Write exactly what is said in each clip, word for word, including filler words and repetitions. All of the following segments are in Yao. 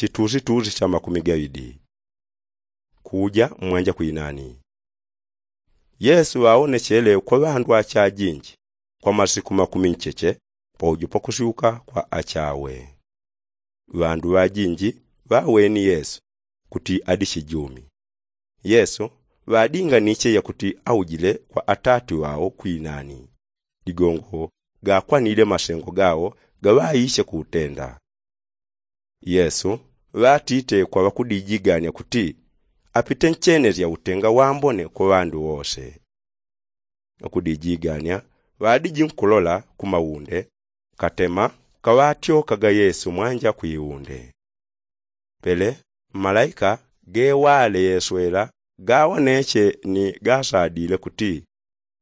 Chitusitusi cha makumi gaŵidi. Kuja mmwanja kwinani. Yesu ŵawonechele kwa ŵandu achajinji kwa masiku makumi ncheche paujo pakusyuka kwa achawe. Ŵandu ŵajinji ŵaweni yesu kuti adi chijumi. Yesu ŵadinganiche yakuti aujile kwa atati ŵao kwinani. Ligongo gakwanile masengo gao gaŵaiche kuutenda. Yesu ŵatite kwa ŵakudijigania kuti apite nchenesya utenga wambone kwa ŵandu wose. Ŵakudijigania ŵadiji nkulola kumaunde katema kaŵatyokaga yesu mwanja kwiunde. Pele malaika gewale yeswela gawoneche ni gasadile kuti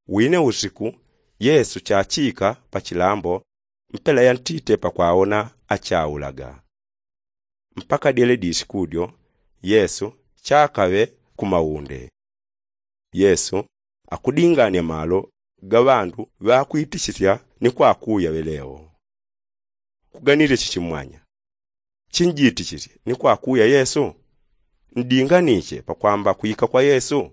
wine usiku yesu chachika pachilambo mpela yantite pakwawona achaulaga. Mpaka dyele disiku dyo yesu chakaŵe kumaunde. Yesu akudingania malo gaŵandu ŵakwitichisya ni kwakuya ŵeleo. Kuganile chichimwanya chinjitichisye ni kwakuya yesu? Ndinganiche pakwamba kwika kwa yesu?